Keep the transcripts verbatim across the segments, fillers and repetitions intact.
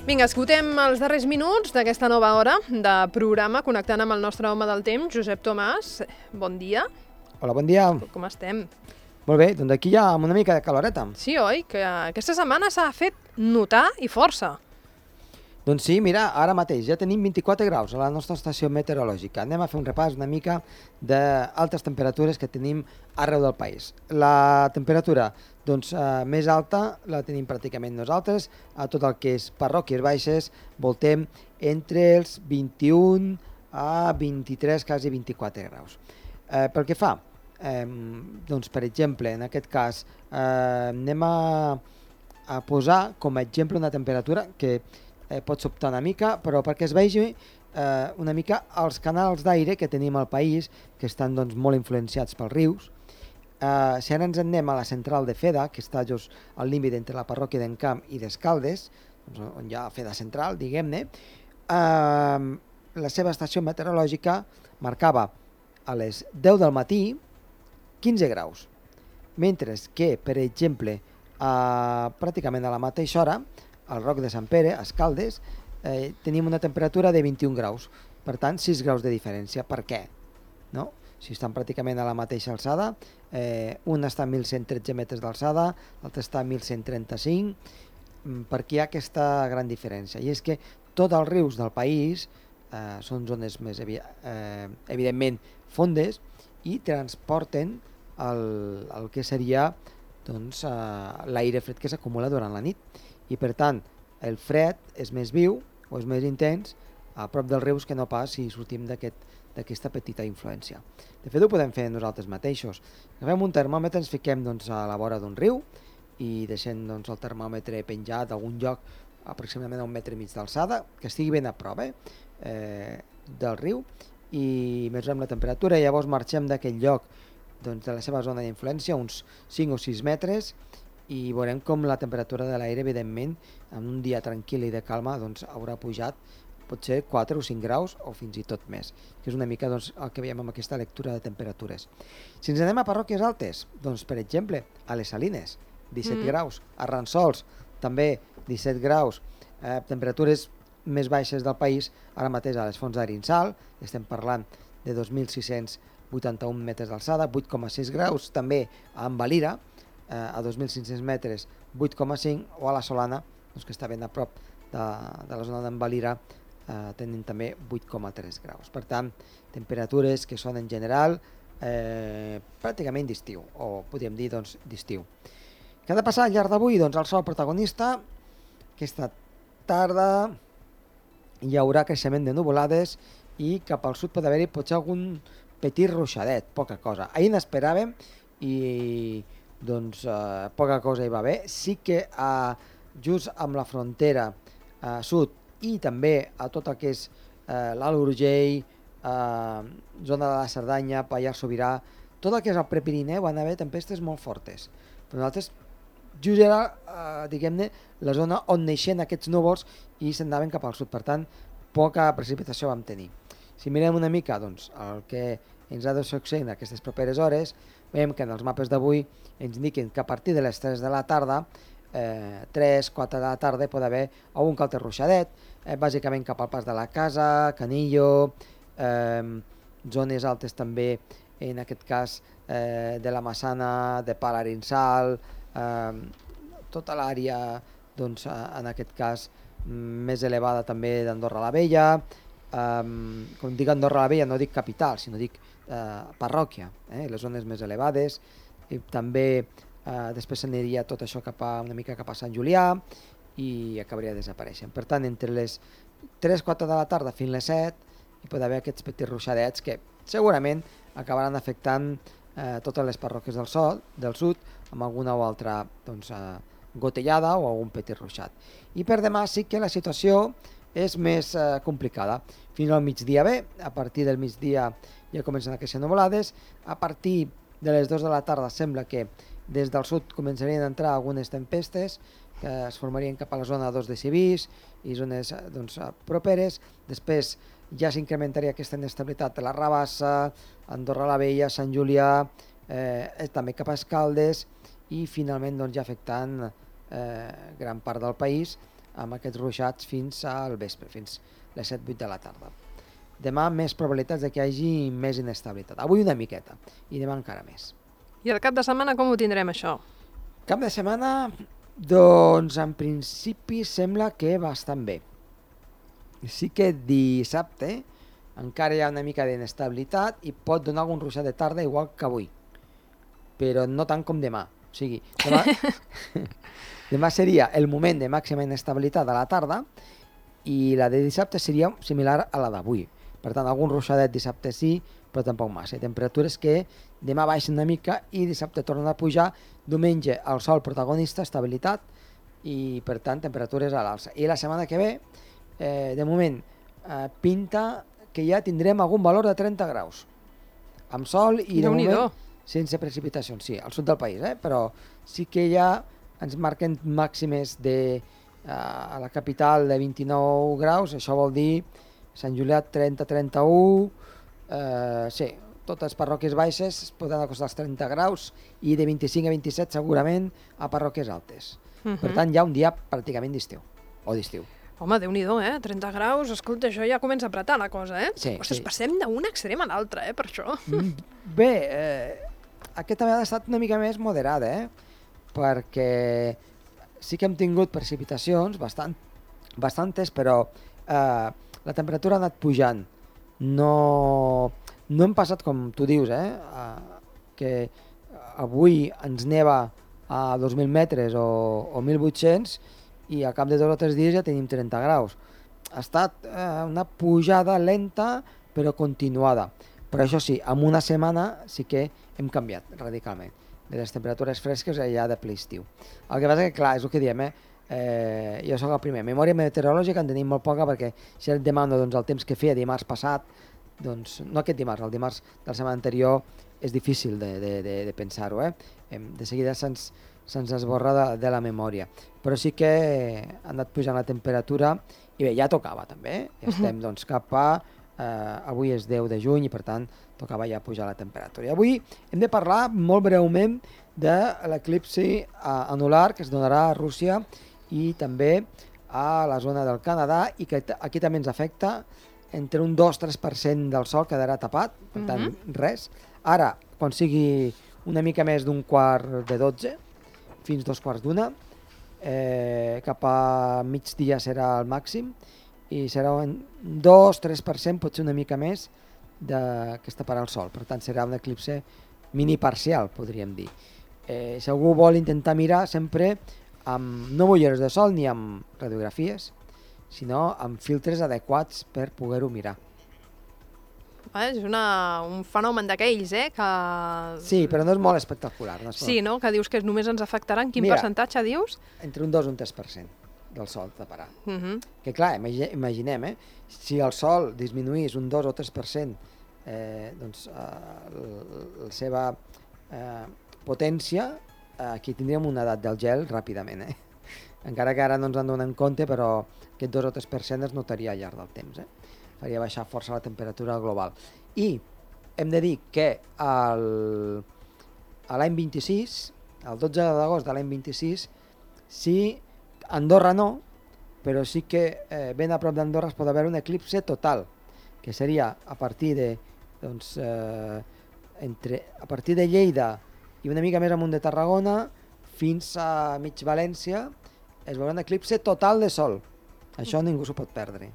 Vinga, escoltem els darrers minuts d'aquesta nova hora de programa, connectant amb el nostre home del temps, Josep Tomàs. Bon dia. Hola, bon dia. Com estem? Molt bé, doncs aquí ja amb una mica de caloreta. Sí, oi? Que aquesta setmana s'ha fet notar i força. Doncs sí, mira, ara mateix ja tenim vint-i-quatre graus a la nostra estació meteorològica. Anem a fer un repàs una mica d'altes temperatures que tenim arreu del país. La temperatura doncs, eh, més alta la tenim pràcticament nosaltres, a tot el que és parròquies baixes voltem entre els vint-i-un a vint-i-tres, quasi vint-i-quatre graus. Eh, pel que fa, eh, doncs, per exemple, en aquest cas, eh, anem a, a posar com a exemple una temperatura que Eh, pot sobtar una mica, però perquè es vegi eh, una mica els canals d'aire que tenim al país, que estan doncs, molt influenciats pels rius. Eh, si ara ens anem a la central de Feda, que està just al límit entre la parròquia d'Encamp i d'Escaldes, doncs, on hi ha Feda Central, diguem-ne, eh, la seva estació meteorològica marcava a les deu del matí quinze graus, mentre que, per exemple, eh, pràcticament a la mateixa hora, al Roc de Sant Pere, a Escaldes, eh, tenim una temperatura de vint-i-un graus, per tant sis graus de diferència. Per què? No? Si estan pràcticament a la mateixa alçada, eh, un està a mil cent tretze metres d'alçada, l'altre està a mil cent trenta-cinc, perquè hi ha aquesta gran diferència. I és que tots els rius del país eh, són zones més evi eh, evidentment fondes i transporten el, el que seria doncs, eh, l'aire fred que s'acumula durant la nit. I per tant el fred és més viu o és més intens a prop dels rius que no pas si sortim d'aquesta aquest, petita influència. De fet ho podem fer nosaltres mateixos. Agafem un termòmetre, ens fiquem doncs, a la vora d'un riu i deixem doncs, el termòmetre penjat a algun lloc aproximadament a un metre i mig d'alçada, que estigui ben a prop eh, eh, del riu, i mesurem la temperatura i llavors marxem d'aquell lloc doncs, de la seva zona d'influència, uns cinc o sis metres, i veurem com la temperatura de l'aire, evidentment, en un dia tranquil i de calma, doncs, haurà pujat potser quatre o cinc graus o fins i tot més, que és una mica doncs, el que veiem amb aquesta lectura de temperatures. Si ens anem a parròquies altes, doncs, per exemple, a les Salines, disset mm. graus, a Ransols, també disset graus, eh, temperatures més baixes del país, ara mateix a les Fonts d'Arinsal, estem parlant de dos mil sis-cents vuitanta-un metres d'alçada, vuit coma sis graus, també a Envalira, a dos mil cinc-cents metres, vuit coma cinc, o a la Solana, doncs, que està ben a prop de, de la zona d'Envalira, eh, tenen també vuit coma tres graus. Per tant, temperatures que són en general eh, pràcticament d'estiu, o podríem dir doncs, d'estiu. Què ha de passar al llarg d'avui? Doncs el sol protagonista. Aquesta tarda hi haurà creixement de nuvolades i cap al sud pot haver-hi potser algun petit ruixadet, poca cosa. Ahir n'esperàvem i doncs eh, poca cosa hi va haver. Sí que eh, just amb la frontera eh, sud i també a tot el que és eh, l'Alt Urgell, eh, zona de la Cerdanya, Pallars Sobirà, tot el que és el Prepirineu van haver tempestes molt fortes. Però nosaltres just era, eh, diguem-ne, la zona on neixen aquests núvols i s'anaven cap al sud, per tant, poca precipitació vam tenir. Si mirem una mica doncs, el que ens ha de succeir en aquestes properes hores, veiem que en els mapes d'avui ens indiquen que a partir de les tres de la tarda, eh, tres quatre de la tarda, pot haver algun que altre ruixadet, eh, bàsicament cap al Pas de la Casa, Canillo, eh, zones altes també, en aquest cas eh, de la Massana, de Pal Arinsal, eh, tota l'àrea, doncs, en aquest cas, més elevada també d'Andorra la Vella. Um, com dic Andorra la Vella no dic capital, sinó dic uh, parròquia, eh? Les zones més elevades, i també uh, després s'aniria tot això cap a, una mica cap a Sant Julià i acabaria desapareixent. Per tant, entre les tres quatre de la tarda fins les set hi pot haver aquests petits ruixadets que segurament acabaran afectant uh, totes les parròquies del, sol, del sud amb alguna o altra doncs, uh, gotellada o algun petit ruixat. I per demà sí que la situació és més eh, complicada. Fins al migdia bé, a partir del migdia ja comencen a créixer nuvolades, a partir de les dues de la tarda sembla que des del sud començarien a entrar algunes tempestes que es formarien cap a la zona dos de Civís i zones doncs, properes. Després ja s'incrementaria aquesta inestabilitat a la Rabassa, Andorra la Vella, Sant Julià, eh, també cap a Escaldes i finalment doncs, ja afectant eh, gran part del país amb aquests ruixats fins al vespre, fins les set vuit de la tarda. Demà més probabilitats de que hi hagi més inestabilitat. Avui una miqueta i demà encara més. I el cap de setmana com ho tindrem, això? Cap de setmana, doncs en principi sembla que bastant bé. Sí que dissabte encara hi ha una mica d'inestabilitat i pot donar algun ruixat de tarda igual que avui, però no tant com demà. O sigui, demà, demà seria el moment de màxima inestabilitat a la tarda i la de dissabte seria similar a la d'avui. Per tant, algun ruixadet dissabte sí, però tampoc massa. Temperatures que demà baixen una mica i dissabte tornen a pujar. Diumenge el sol protagonista, estabilitat i per tant temperatures a l'alça. I la setmana que ve, eh, de moment, eh, pinta que ja tindrem algun valor de trenta graus. Amb sol i de moment sense precipitacions, sí, al sud del país, eh? Però sí que ja ens marquen màximes de, eh, a la capital de vint-i-nou graus, això vol dir Sant Julià trenta a trenta-u, eh, sí, totes parròquies baixes es poden acostar als trenta graus i de vint-i-cinc a vint-i-set segurament a parròquies altes. Uh-huh. Per tant, hi ha un dia pràcticament d'estiu, o d'estiu. Home, Déu-n'hi-do, eh? trenta graus, escolta, això ja comença a apretar la cosa, eh? Sí, Ostres, sí. Passem d'un extrem a l'altre, eh, per això. Bé, eh, aquesta vegada ha estat una mica més moderada, eh? Perquè sí que hem tingut precipitacions bastant, bastantes, però eh, la temperatura ha anat pujant. No, no hem passat, com tu dius, eh? eh que avui ens neva a dos mil metres o, o mil vuit-cents i a cap de dos o tres dies ja tenim trenta graus. Ha estat eh, una pujada lenta però continuada. Però això sí, en una setmana sí que hem canviat radicalment. De les temperatures fresques ja de ple estiu. El que passa que, clar, és el que diem, eh? Eh, jo soc el primer. Memòria meteorològica en tenim molt poca perquè si et demano doncs, el temps que feia dimarts passat, doncs, no aquest dimarts, el dimarts de la setmana anterior és difícil de, de, de, de pensar-ho. Eh? De seguida se'ns se'ns esborra de, de la memòria. Però sí que ha anat pujant la temperatura i bé, ja tocava també. Eh? Ja estem doncs, cap a... Eh, avui és deu de juny i per tant tocava ja pujar la temperatura. I avui hem de parlar molt breument de l'eclipsi anular que es donarà a Rússia i també a la zona del Canadà i que aquí també ens afecta. Entre un dos a tres per cent del sol quedarà tapat, per tant mm-hmm. res. Ara, quan sigui una mica més d'un quart de dotze, fins dos quarts d'una, eh, cap a migdia serà el màxim i serà un dos a tres per cent, potser una mica més, de, que es taparà el sol. Per tant, serà un eclipse mini parcial, podríem dir. Eh, si algú vol intentar mirar sempre amb no ulleres de sol ni amb radiografies, sinó amb filtres adequats per poder-ho mirar. Eh, és una, un fenomen d'aquells, eh? Que... Sí, però no és molt espectacular. No és sí, no? Que dius que només ens afectarà. En quin Mira, percentatge dius? Entre un dos i un tres per cent del sol taparà. Uh-huh. Que clar, imaginem, eh? Si el sol disminuís un dos o tres per cent eh, doncs, eh, la seva eh, potència, eh, aquí tindríem una edat del gel ràpidament. Eh? Encara que ara no ens en donem compte, però aquest dos o tres per cent es notaria al llarg del temps. Eh? Faria baixar força la temperatura global. I hem de dir que el, a l'any vint-i-sis, el dotze d'agost de l'any vint-i-sis, sí, Andorra no, però sí que eh, ben a prop d'Andorra es pot haver un eclipse total, que seria a partir de, doncs, eh, entre, a partir de Lleida i una mica més amunt de Tarragona fins a mig València, es veurà un eclipse total de sol. Això ningú s'ho pot perdre.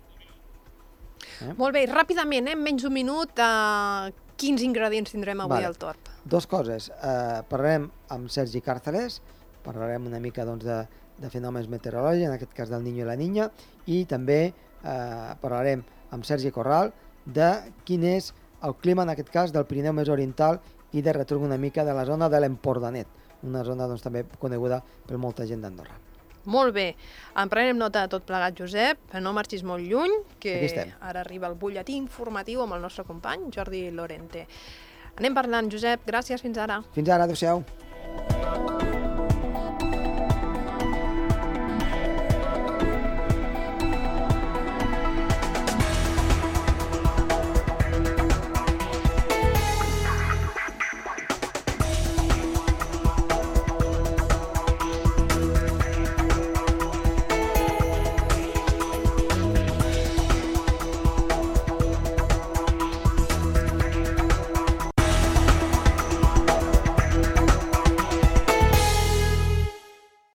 Eh? Molt bé, ràpidament, eh? menys d'un minut, eh, quins ingredients tindrem avui vale. al Torb? Dos coses. Eh, parlarem amb Sergi Càrceles, parlarem una mica doncs, de de fenòmens meteorològics, en aquest cas del Niño i la Niña, i també eh, parlarem amb Sergi Corral de quin és el clima, en aquest cas, del Pirineu més oriental i de retorn una mica de la zona de l'Empordanet, una zona doncs, també coneguda per molta gent d'Andorra. Molt bé, en prenem nota de tot plegat, Josep, no marxis molt lluny, que ara arriba el butlletí informatiu amb el nostre company, Jordi Lorente. Anem parlant, Josep, gràcies, fins ara. Fins ara, adéu-siau.